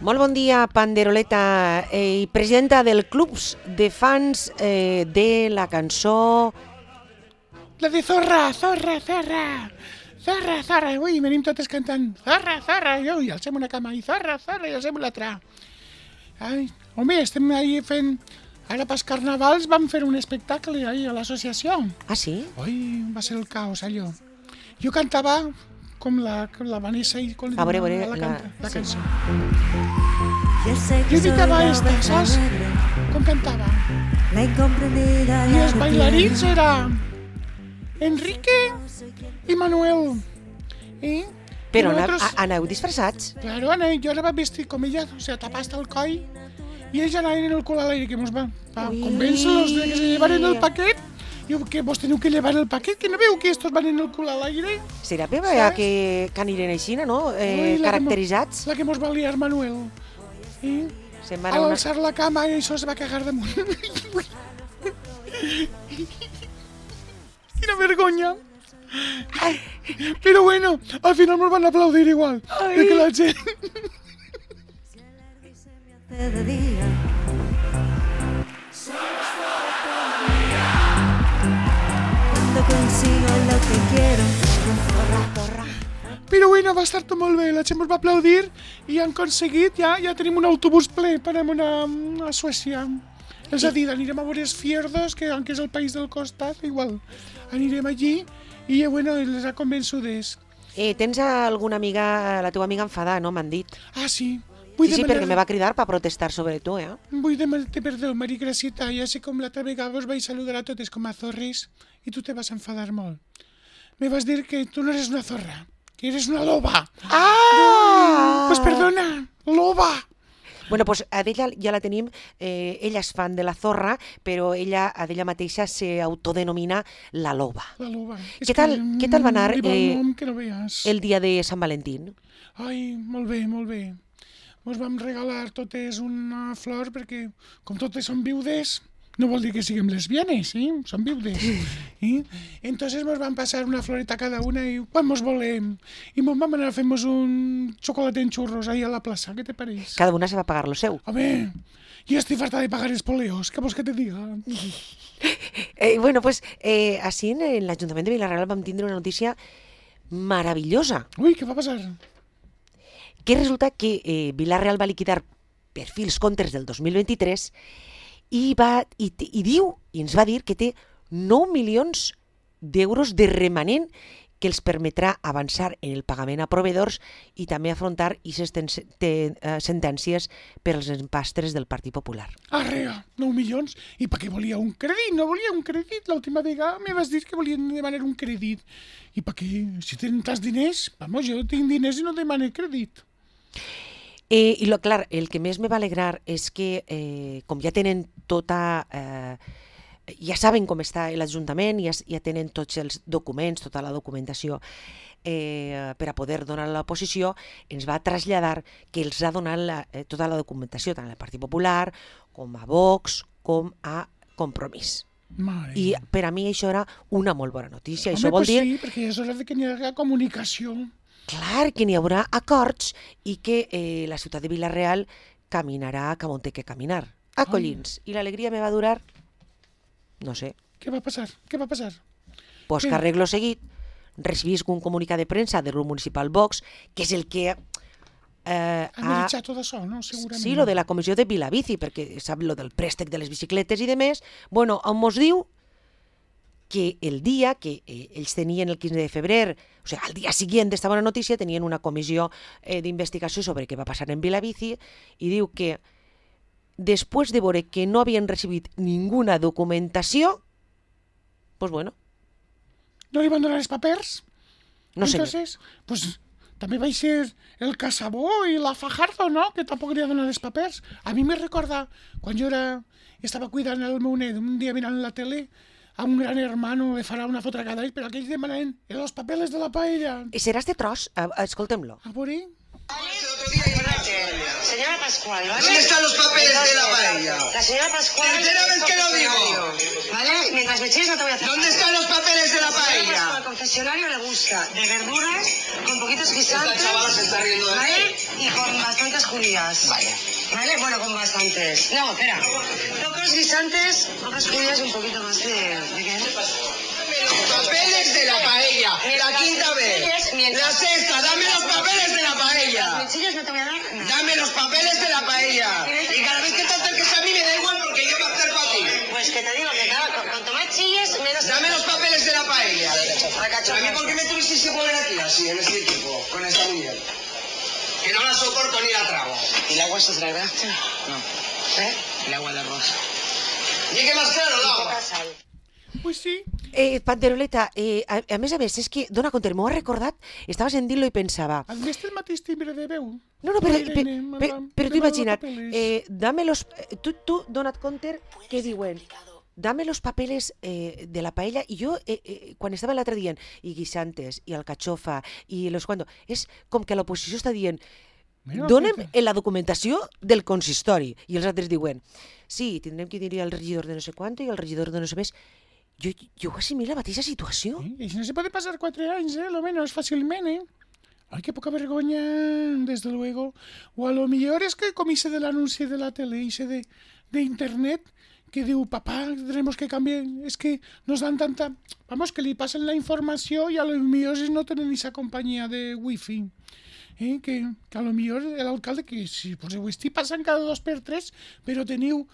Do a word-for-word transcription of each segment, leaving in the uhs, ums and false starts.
Molt bon dia, Panderoleta, eh, i presidenta del clubs de fans eh, de la cançó... La de Zorra, Zorra, Zorra, Zorra, Zorra. Ui, venim totes cantant Zorra, Zorra, i ui, alcem una cama, i Zorra, Zorra, i alcem l'altra. Ai, home, estem ahí fent... Ara pels carnavals vam fer un espectacle ahí a l'associació. Ah, sí? Ui, va ser el caos, allò. Jo cantava com la, com la Vanessa i com a veure, a veure, la, la, canta, la sí. cançó. Jo imitava esta, saps? Com cantava. I els bailarins era Enrique i Manuel. I Però nosaltres... aneu, aneu disfressats? Claro, aneu, jo ara vaig vestir com ella, o sea, tapar-se el coll, i ells anaven en el cul a l'aire, que mos va convèncer-los de que se llevaren el paquet. Diu que vos teniu que llevar el paquet, que no veu que estos van en el cul a l'aire? Serà bé que, que anirem així, no? Eh, Ui, caracteritzats? La que mos va liar Manuel. I a al alçar la cama i això se va cagar damunt. Quina vergonya. Però bueno, al final nos van aplaudir igual. De que la gent... de día. Cuando consigo lo que quiero. Però bueno, va estar tot molt bé, la gent ens va aplaudir i han aconseguit, ja, ja tenim un autobús ple per anar a Suècia. És a dir, anirem a veure els fiordos, que aunque és el país del costat, igual, anirem allí i bueno, les ha convençudes. Eh, tens alguna amiga, la teva amiga enfadada, no? M'han dit. Ah, sí. Vull sí, sí, demanar... perquè me va cridar per protestar sobre tu, eh? Vull demanar-te perdó, Mari Gracieta, ja sé com l'altra vegada us vaig saludar a totes com a zorres i tu te vas enfadar molt. Me vas dir que tu no eres una zorra, que eres una loba. Ah! Pues perdona, loba. Bueno, pues a ella ja la tenim, eh, ella és fan de la zorra, però ella a ella mateixa s'autodenomina la loba. La loba. Què tal, que, què tal va anar eh, eh, nom que no veies. el dia de Sant Valentín? Ai, molt bé, molt bé. Ens vam regalar totes una flor perquè, com totes són viudes, no vol dir que siguem lesbianes, sí? Són viudes. I entonces ens vam passar una floreta cada una i quan mos volem. I mos vam anar a fer-nos un xocolate en xurros ahí a la plaça, què te pareix? Cada una se va pagar lo seu. Home, jo estic farta de pagar els poleos, què vols que te diga? Eh, bueno, pues eh, així en l'Ajuntament de Vila-real vam tindre una notícia meravellosa. Ui, què va passar? Que resulta que eh, Vila-real va liquidar per fi els comptes del dos mil vint-i-tres i, va, i, i diu, i ens va dir que té nou milions d'euros de remanent que els permetrà avançar en el pagament a proveïdors i també afrontar aquestes sentències per als empastres del Partit Popular. Arrea, nou milions? I per què volia un crèdit? No volia un crèdit? L'última vegada me vas dir que volien demanar un crèdit. I per què? Si tenen tants diners, vamos, jo tinc diners i no demano crèdit. Eh, I lo, clar, el que més me va alegrar és que, eh, com ja tenen tota... Eh, ja saben com està l'Ajuntament, ja, ja tenen tots els documents, tota la documentació eh, per a poder donar a l'oposició, ens va traslladar que els ha donat la, eh, tota la documentació, tant al Partit Popular, com a Vox, com a Compromís. Mare. I per a mi això era una molt bona notícia. Home, això vol pues dir... sí, perquè és hora de que n'hi hagi comunicació. Clar, que n'hi haurà acords i que eh, la ciutat de Vila-real caminarà cap on té que caminar, a collins. I l'alegria me va durar, no sé. Què va passar? Què va passar? Pues que arreglo seguit, recibís un comunicat de premsa del grup municipal Vox, que és el que... Eh, analitzar tot això, no? Segurament. Sí, lo de la comissió de Vilabici, perquè sap lo del préstec de les bicicletes i de més. Bueno, on mos diu que el dia que eh, ells tenien el quinze de febrer, o sigui, al dia següent d'esta bona notícia, tenien una comissió eh, d'investigació sobre què va passar en Vilabici i diu que després de veure que no havien recibit ninguna documentació, pues bueno. No li van donar els papers? No sé. Entonces, pues també va ser el Casabó i la Fajardo, no? Que tampoc li ha donat els papers. A mi me recorda, quan jo era, estava cuidant el meu net, un dia mirant la tele, a un gran hermano le farà una foto cada any, però aquells demanen els papeles de la paella. I serà este tros? Escoltem-lo. A veure. El otro día Señora Pascual, ¿vale? ¿Dónde están los papeles de la paella? La señora Pascual... Tercera vez que lo digo. ¿Vale? Mientras me chilles no te voy a hacer... ¿Dónde están los papeles de la paella? Al confesionario le busca de verduras, con poquitos guisantes... Esta chavala se está riendo de ¿vale? mí. Y con bastantes judías. Vale. ¿Vale? Bueno, con bastantes. No, espera. Pocos guisantes, pocas judías y un poquito más de... ¿De qué? Los papeles de la paella. La quinta vez. La sexta. Dame los papeles de la paella. Las mechillas no te voy a dar nada. Dame los papeles de la paella. Y cada vez que te acerques a mí me da igual porque yo me acerco a ti. Pues que te digo que cada, cu- cuanto más chilles, menos... Dame los papeles de la paella. La ¿A cachorra. mí por qué me tuviste que poner aquí así, en este equipo, con esta mujer? Que no la soporto ni la trago. ¿Y el agua se traerá? No, ¿Eh? el agua de arroz. Llegue más claro el agua. Poca sal. Pues sí. Eh, Panderoleta, eh, a, a més a més, és que, dona compte, m'ho ha recordat, estava sentint-lo i pensava... Has vist el mateix timbre de veu? No, no, però, Ai, per, nene, per, madame, però tu demano imagina't, papeles. eh, dame los... Tu, tu dona't compte què diuen. Dame los papeles eh, de la paella. I jo, eh, eh, quan estava l'altre dient, i guisantes, i alcachofa, i los cuando, és com que l'oposició està dient, Mira, donem feta. la documentació del consistori. I els altres diuen, sí, tindrem que dir al regidor de no sé quant i al regidor de no sé més. Jo, jo ho assimilo la mateixa situació. ¿Eh? Y si no se puede pasar cuatro años, ¿eh? Lo menos fácilmente, ¿eh? Ay, qué poca vergüenza, desde luego. O a lo mejor es que comíse del anuncio de la tele y se de, de internet que diu, papá, tenemos que cambiar. Es que nos dan tanta... Vamos, que le pasen la información y a lo mejor es no tener esa compañía de wifi. ¿Eh? Que, que a lo mejor el alcalde, que si pues el wifi pasan cada dos per tres, pero teniu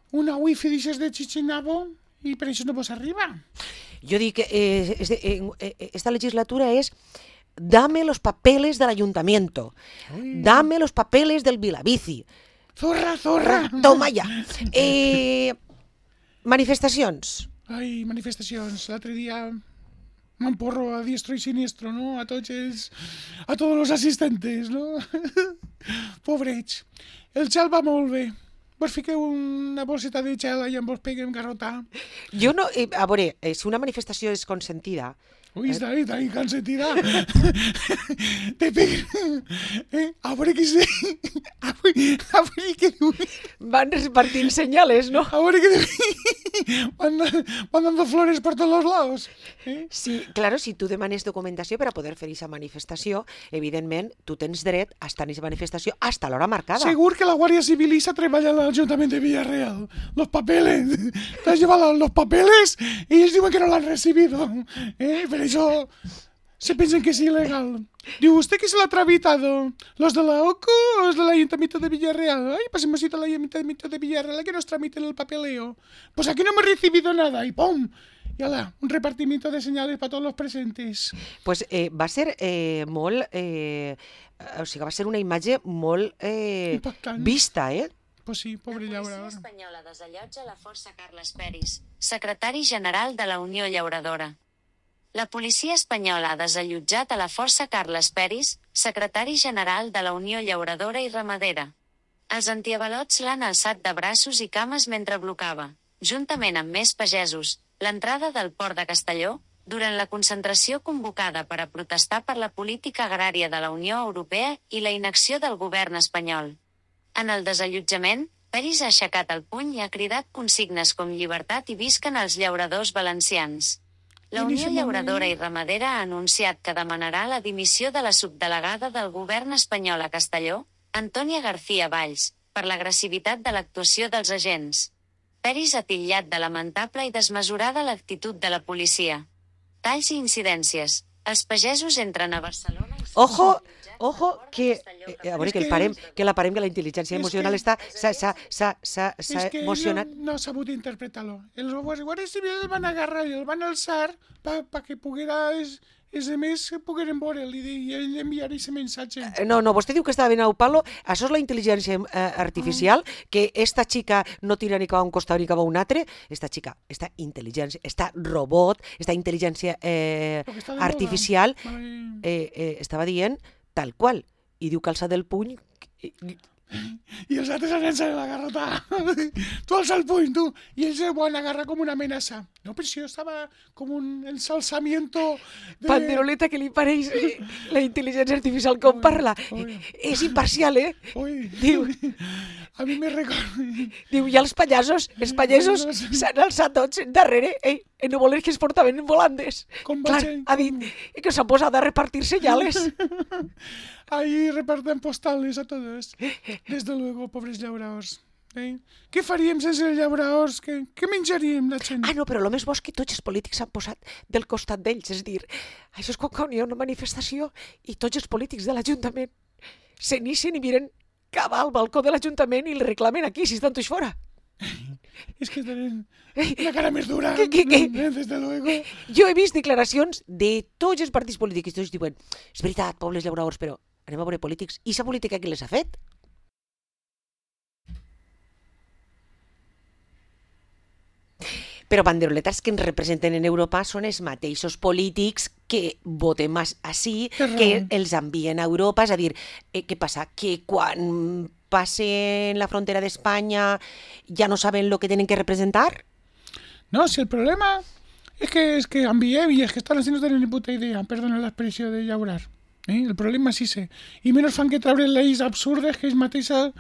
una wifi, dices, de Chichinabo y per això no vos arriba. Jo dic que eh, este, eh, eh, esta legislatura es dame los papeles del ayuntamiento, Uy. dame los papeles del Vilabici. Zorra, zorra! Toma ja. Eh, manifestacions. Ai, manifestacions. L'altre dia m'emporro a diestro i siniestro, no? A tots els... a tots els assistentes, no? Pobrets. El gel va molt bé. Vos fiqueu una bolseta de gel i em vos peguem garrotar. Jo no... Eh, a veure, eh, si una manifestació és consentida, Ui, està ahí, està ahí, cansatida. Te peguen... Eh? A veure què sé. A veure, a veure què diu. van repartint senyales, no? A veure què diu. Van, van dando flores per tots los lados. Eh? Sí, claro, si tu demanes documentació per a poder fer aquesta manifestació, evidentment, tu tens dret a estar en aquesta manifestació hasta l'hora marcada. Segur que la Guàrdia Civil se treballa al Ayuntamiento de Villarreal. Los papeles. Te has llevado los papeles y ellos dicen que no lo han recibido. ¿Eh? Pero eso se piensan que es ilegal. Digo, ¿usted qué se lo ha tramitado? ¿Los de la O C U o los del Ayuntamiento de Villarreal? Ay, pues hemos ido al Ayuntamiento de Villarreal a que nos tramiten el papeleo. Pues aquí no hemos recibido nada. Y ¡pum! Y ala, un repartimiento de señales para todos los presentes. Pues eh, va ser eh, molt... Eh, o sigui, va ser una imatge molt eh, Impactant. vista, eh? Pues sí, pobre La policia llaurador. espanyola desallotja la força Carles Peris, secretari general de la Unió Llauradora. La policia espanyola ha desallotjat a la força Carles Peris, secretari general de la Unió Llauradora i Ramadera. Els antiavalots l'han alçat de braços i cames mentre blocava, juntament amb més pagesos, l'entrada del port de Castelló, durant la concentració convocada per a protestar per la política agrària de la Unió Europea i la inacció del govern espanyol. En el desallotjament, Peris ha aixecat el puny i ha cridat consignes com llibertat i visquen els llauradors valencians. La I Unió deixa'm Llauradora anar. i Ramadera ha anunciat que demanarà la dimissió de la subdelegada del govern espanyol a Castelló, Antònia García Valls, per l'agressivitat de l'actuació dels agents. Peris ha titllat de lamentable i desmesurada l'actitud de la policia. Talls i incidències. Els pagesos entren a Barcelona i... Ojo, ojo, que... Eh, a veure, És que, el que- parem, que la parem, que la intel·ligència és emocional que- està... S'ha s'ha- s'ha- s'ha- s'ha Es que emocionat. no, no ha sabut interpretar-lo. Els guàrdies civils el van agarrar i el van alçar per pa que poguera els, els altres pogueren veure'l i, i ell enviar aquest missatge. Eh, No, no, vostè diu que estava ben al palo. Això és la intel·ligència eh, artificial, que esta xica no tira ni cap a un costat ni cap a un altre. Esta xica, esta intel·ligència, esta robot, esta intel·ligència eh, Perquè està de moda. artificial, Vale. eh, eh, estava dient tal qual. I diu que alça del puny... i- i- i els altres anen-se'n a la garrota. Tu alça el puny, tu. I ells ho han agarrat com una amenaça. No, però això estava com un ensalzamiento de... Panderoleta, que li pareix la intel·ligència artificial com parla. És imparcial, eh? Ui. Diu, A mi me recorda... diu, i els pallassos, els pallassos s'han alçat tots darrere, eh? I no voler que es portaven volandes. Com Clar, vaig- ha dit, i que s'han posat a repartir senyales. Ahí reparten postales a todos. Desde luego, pobres llauraors. Eh? Què faríem sense els llauraors? Què, què menjaríem, la gent? Ah, no, però el més bo és que tots els polítics s'han posat del costat d'ells. És a dir, això és com quan hi ha una manifestació i tots els polítics de l'Ajuntament se n'ixen i miren cap al balcó de l'Ajuntament i li reclamen aquí, si estan tots fora. És que tenen una cara més dura. Què, què, què? eh, Desde luego. Jo he vist declaracions de tots els partits polítics i tots diuen, és veritat, pobles llauradors, però anem a veure polítics. I sa política qui les ha fet? Però banderoletes que ens representen en Europa són els mateixos polítics que votem així, Té raó. que els envien a Europa. És a dir, eh, què passa? Que quan passen la frontera d'Espanya ja no saben el que tenen que representar? No, si el problema es que, es que enviem y es que están así no tienen ni puta idea, perdona la expressió de llaurar. Eh? El problema és ese. I menys fan que treure lleis absurdes que ells mateixes...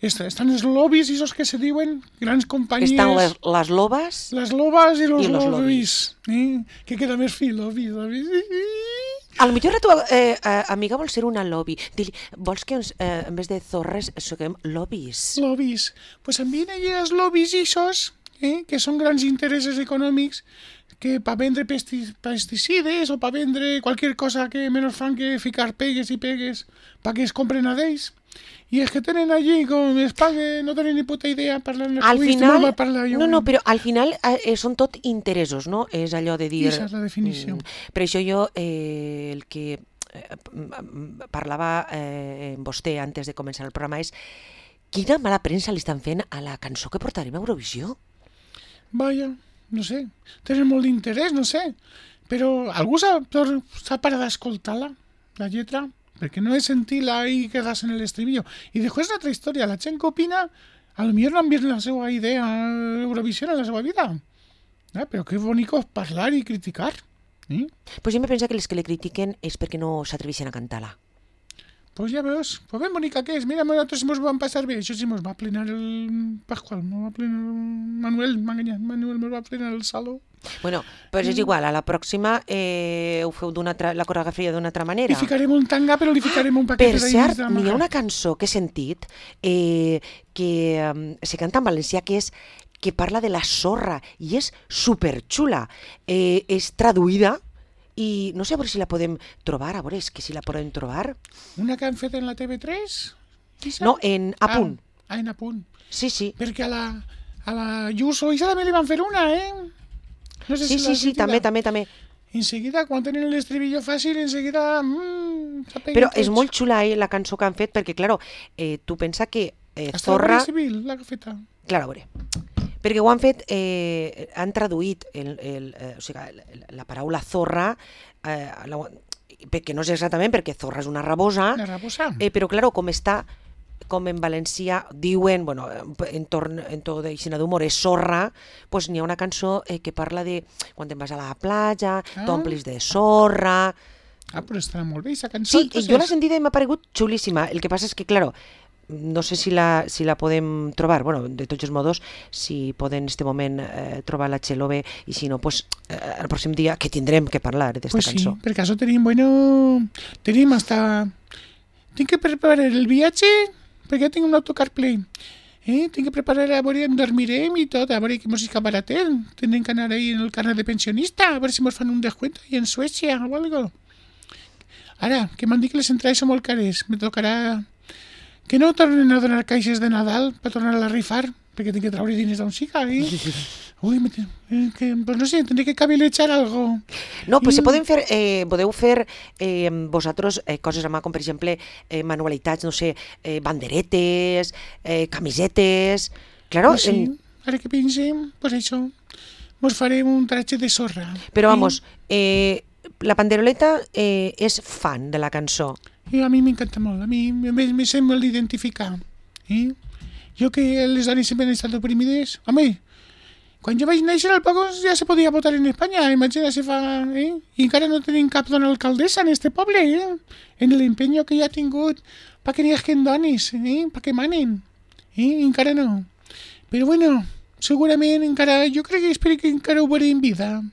est- Estan els lobbies i esos que se diuen, grans companyies... Estan les, les lobes... Las lobas y los, Y los lobbies. Eh? Que queda més fi, lobbies, lobbies. A lo millor la teva eh, eh, amiga vol ser una lobby. Dili, vols que ens, eh, en vez de zorres soguem lobbies? Lobbies. Pues envien allí els lobbies isos, eh? Que són grans interessos econòmics que per vendre pesti pesticides o per vendre qualsevol cosa que menys fan que ficar pegues i pegues perquè es compren a d'ells. I és que tenen allí, com es paguen, no tenen ni puta idea, parlant Al Ui, final, no va parlar jo. no, no, però al final eh, són tot interessos, no? És allò de dir... Esa és la definició. Mm, per això jo, eh, el que eh, m- parlava eh, amb vostè antes de començar el programa és quina mala premsa li estan fent a la cançó que portarem a Eurovisió. Vaja, no sé, tenen molt d'interès, no sé, però algú s'ha s'ha parat d'escoltar-la, la lletra, perquè no he sentit-la i quedas en el estribillo. I després una altra història, la gent que opina, a lo millor no han vist la seva idea a Eurovisió en la seva vida. Ah, però que bonico és parlar i criticar. Eh? Pues jo me penso que les que le critiquen és perquè no s'atreveixen a cantar-la. Pues ja veus, pues ben bonica que és. Mira, nosaltres mos vam passar bé. Això sí, mos va plenar el Pascual, mos va plenar el Manuel, m'ha enganyat, Manuel mos va plenar el saló. Bueno, però és igual, a la pròxima eh, ho feu d'una altra, la coreografia d'una altra manera. Li ficarem un tanga, però li ficarem un paquet Per de cert, dins de n'hi ha maca. una cançó que he sentit eh, que um, se canta en valencià que és que parla de la sorra i és superxula. Eh, és traduïda i no sé a veure si la podem trobar, a veure, és que si la podem trobar. Una que han fet en la T V tres? Isa? No, en A punt. Ah, ah, en A punt. Sí, sí. Perquè a la, a la Yuso Isa també li van fer una, eh? No sé Sí, si sí, l'has sí, sentida. també, també, també. Enseguida, quan tenen l'estribillo fàcil, enseguida... Mmm, Però és molt xula eh, la cançó que han fet perquè, claro, eh, tu pensa que eh, Hasta Zorra... la Guàrdia Civil, la feta. Clar, a veure, perquè ho han fet, eh, han traduït el, el, eh, o sigui, la, la paraula zorra, eh, la, perquè no és exactament perquè zorra és una rabosa, La rabosa. eh, però claro, com està, com en valencià diuen, bueno, en torn en tot d'aixina d'humor és sorra, pues n'hi ha una cançó eh, que parla de quan te'n vas a la platja, Ah. t'omplis de sorra... Ah, però estarà molt bé, aquesta cançó. Sí, entonces. jo l'he sentida i m'ha paregut xulíssima. El que passa és que, claro, no sé si la, si la podem trobar, bueno, de tots els modos, si poden en este moment eh, trobar la Txelo bé, i si no, pues, eh, el pròxim dia que tindrem que parlar d'esta Pues sí, cançó. per caso tenim, bueno, tenim hasta... Tinc que preparar el viatge, perquè tinc un autocar ple. Eh? Tinc que preparar a veure on dormirem i tot, a veure que mos escaparatem. Tindrem que anar ahí en el carnet de pensionista, a veure si mos fan un descuento i en Suècia o algo. Ara, que m'han dit que les entrades són molt cares, me tocarà... Que no tornen a donar caixes de Nadal per tornar a rifar, perquè tinc que treure diners d'on siga, eh? Ui, me te... eh, que, pues no sé, tindré que cavilejar algo. No, pues I- se poden fer, eh, podeu fer eh, vosaltres eh, coses a mà, com per exemple eh, manualitats, no sé, eh, banderetes, eh, camisetes... Claro, Pues sí, en, ara que pensem, pues això, mos farem un tratge de sorra. però vamos, eh, la Panderoleta eh, és fan de la cançó. I a mi m'encanta molt, a mi me, me sent molt identificar. Eh? Jo que les dones sempre han estat oprimides. Home, quan jo vaig néixer al poc ja se podia votar en Espanya, imagina si fa... Eh? I encara no tenim cap dona alcaldessa en este poble, eh? En l'empenyo que ja ha tingut pa que n'hi hagin dones, eh? Pa que manen. Eh? Encara no. Però bueno, segurament encara... Jo crec que espero que encara ho veuré en vida.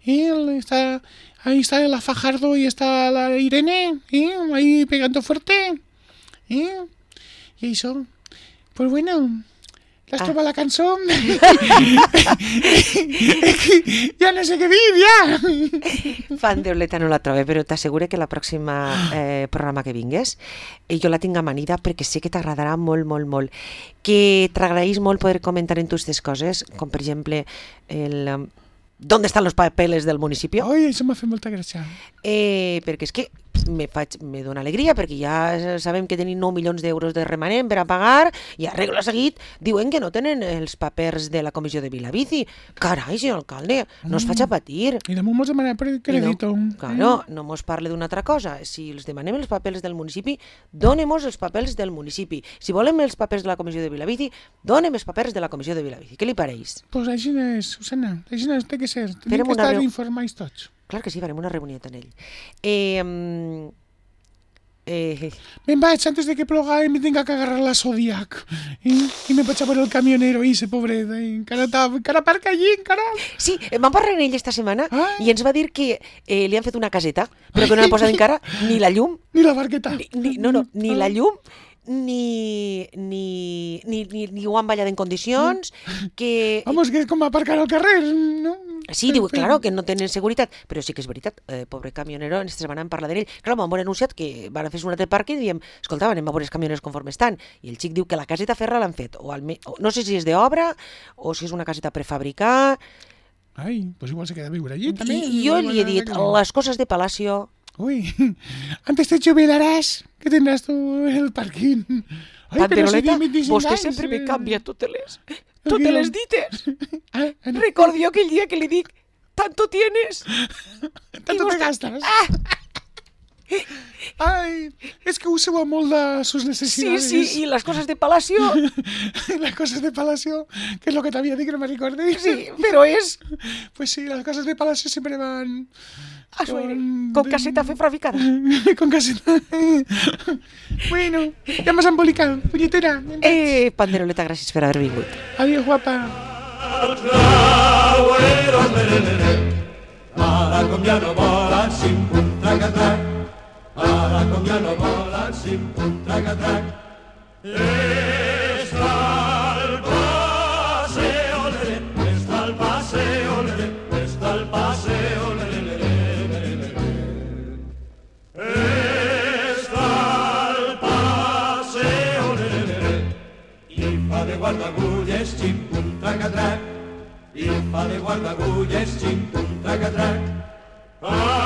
Eh? Està... Ahí está la Fajardo y está la Irene, ¿eh? Ahí pegando fuerte, ¿eh? Y eso, pues bueno, las ah. troba la canción. Ya no sé què dir, ja. Fan d'Oleta no la trobe, però t'assegure que la pròxima eh, programa que vingues eh, jo la tinc amanida perquè sé que t'agradarà molt, molt, molt. Que t'agraeix molt poder comentar en tu aquestes coses, com per exemple el... ¿Dónde están los papeles del municipio? Ai, això m'ha fet molta gràcia. Eh, perquè és que me, faig, me dona alegria, perquè ja sabem que tenim nou milions d'euros de remanent per a pagar i a regla seguit diuen que no tenen els papers de la comissió de Vilabici. Carai, senyor alcalde, no es faig a patir. I damunt mos demanar per crèdito. No, claro, no mos parle d'una altra cosa. Si els demanem els papers del municipi, donem-nos els papers del municipi. Si volem els papers de la comissió de Vilabici, donem els papers de la comissió de Vilabici. Què li pareix? Pues així és, Susana, així és, té que ser. Tenim que estar reu... informats tots. Clar que sí, farem una reunió amb ell. Eh, eh... Me'n vaig antes de que ploga i me tinga que agarrar la Zodiac. I, i me vaig a veure el camionero, i ese pobret. Encara, encara aparca allí, encara... Sí, vam parlar amb ell esta setmana ah. i ens va dir que eh, li han fet una caseta, però que no han posat encara ni la llum... Ni la barqueta. Ni, ni, no, no, ni la llum... Ni, ni, ni, ni, ni ho han ballat en condicions, que... Vamos, que és com aparcar al carrer, no? Sí, diu, claro, que no tenen seguretat, però sí que és veritat, eh, pobre camionero, ens van parlar d'ell. Clar, m'han anunciat que van a fer un altre parc i diem, escolta, anem a veure els camioners conforme estan. I el xic diu que la caseta ferra l'han fet, o, alme... o no sé si és d'obra, o si és una caseta prefabricada... Ai, pues igual se queda a viure allí, també. I jo li he dit, les coses de Palacio... Uy, antes te jubilaràs, que tindràs tu el parquín. Ai, Panderoleta, si vostè sempre me canvia totes les, totes les dites. Ah, no. Recordo jo aquell dia que li dic, tanto tienes. Tanto te gastas. Ah. Ai, és que useu molt de sus necessitats. Sí, sí, i les coses de Palacio. Les coses de Palacio, que és lo que t'havia dit que no me recordes. Sí, però és... Pues sí, les coses de Palacio sempre van... Con, con caseta prefabricada. Con caseta. Bueno, ja m'has embolicat, punyetera. Eh, Panderoleta, gràcies per haver vingut. Adiós, guapa. Ara com ja no volen, sim, pum, trac-a-trac. Ara com ja no volen, sim, pum, trac-a-trac. Està el paseo, lere, està el paseo, lere, està el paseo, lere, lere, lere. Està el paseo, lere, lere. I fa de guardagulles, xim, pum, trac-a-trac. I fa de guardagulles, xim, pum, trac-a-trac. Ah!